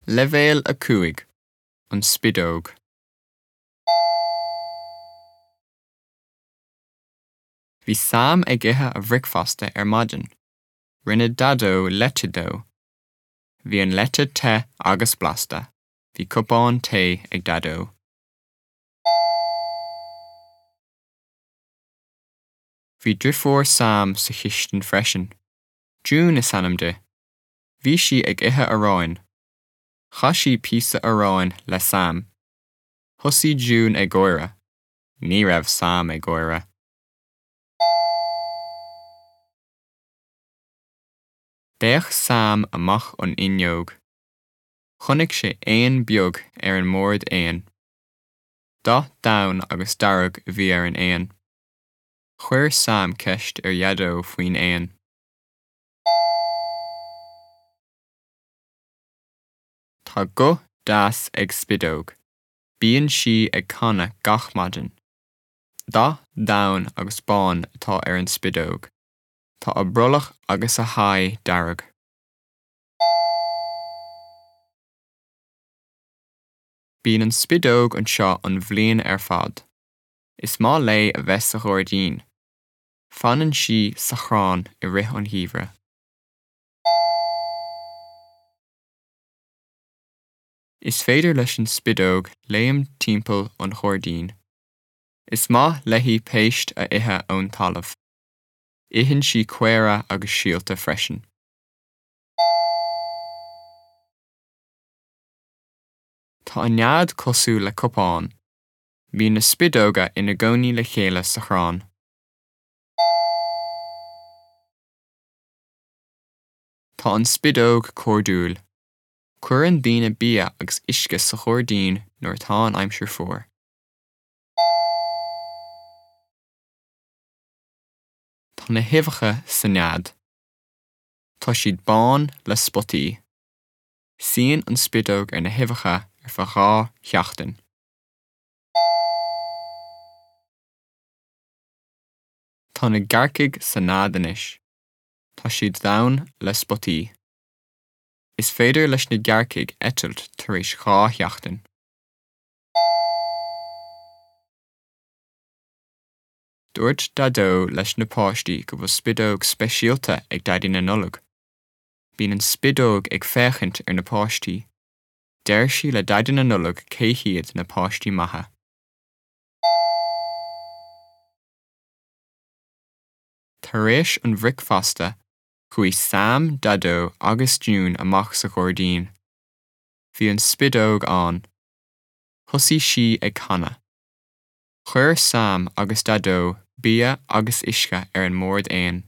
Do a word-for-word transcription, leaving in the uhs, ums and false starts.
Leibhéal a cúig, An Spideog. Bhí Sam ag ithe a bhricfeasta ar maidin. Rinne Daideo leite dó. Bhí an leite te agus blasta. Bhí cupán tae ag Daideo. Bhí deirfiúr Sam sa chistin freisin. June is ainm di. Bhí sí ag ithe aráin. Chaith sí píosa aráin le Sam. Thosaigh June ag gáire. Ní raibh Sam ag gáire. D'fhéach Sam amach an fhuinneog. Chonaic sé éan beag ar an mbord éan. Dath donn agus dearg a bhí ar an éan. Chuir Sam ceist ar Dhaideo faoin éan. Tá guth deas ag Spideog. Bíonn sí ag canadh gach maidin. Dath donn agus bán atá ar an spideog. Tá a brollach agus a haghaidh dearg. Bíonn an spideog anseo an bhliain ar fad. Is maith léi a bheith sa ghairdín. Fanann sí sa chrann i rith an gheimhridh. Is féidir leis an spideog léim timpeall an ghairdín. Is maith léi péist a ithe ón talamh. Itheann sí caora agus síolta freisin. Tá a nead cosúil le cupán. Bíonn na spideoga ina gcónaí le chéile sa chrann. Tá an spideog cairdiúil. Cuireann daoine bia agus uisce sa ghairdín nuair atá an aimsir fuar. Tá na huibheacha sa nead. Tá siad bán le spotaí. Suíonn an spideog ar na huibheacha ar feadh dhá sheachtain. Tá na gearrcaigh sa nead anois. Tá siad donn le spotaí. Is féidir leis na gearrcaigh eitilt tar éis dhá sheachtain. Dúirt Daideo leis na páistí go bhfuil spideog speisialta ag Daidí na Nollag. Bíonn an spideog ag féachaint ar na páistí. Deir sí le Daidí na Nollag cé hiad na páistí maithe. Tar éis an bhricfeasta, chuaigh Sam, Daideo agus June amach sa ghairdín. Bhí an spideog ann. Thosaigh sí ag canadh. Chuir Sam agus Daideo bia agus uisce ar an mbord éan.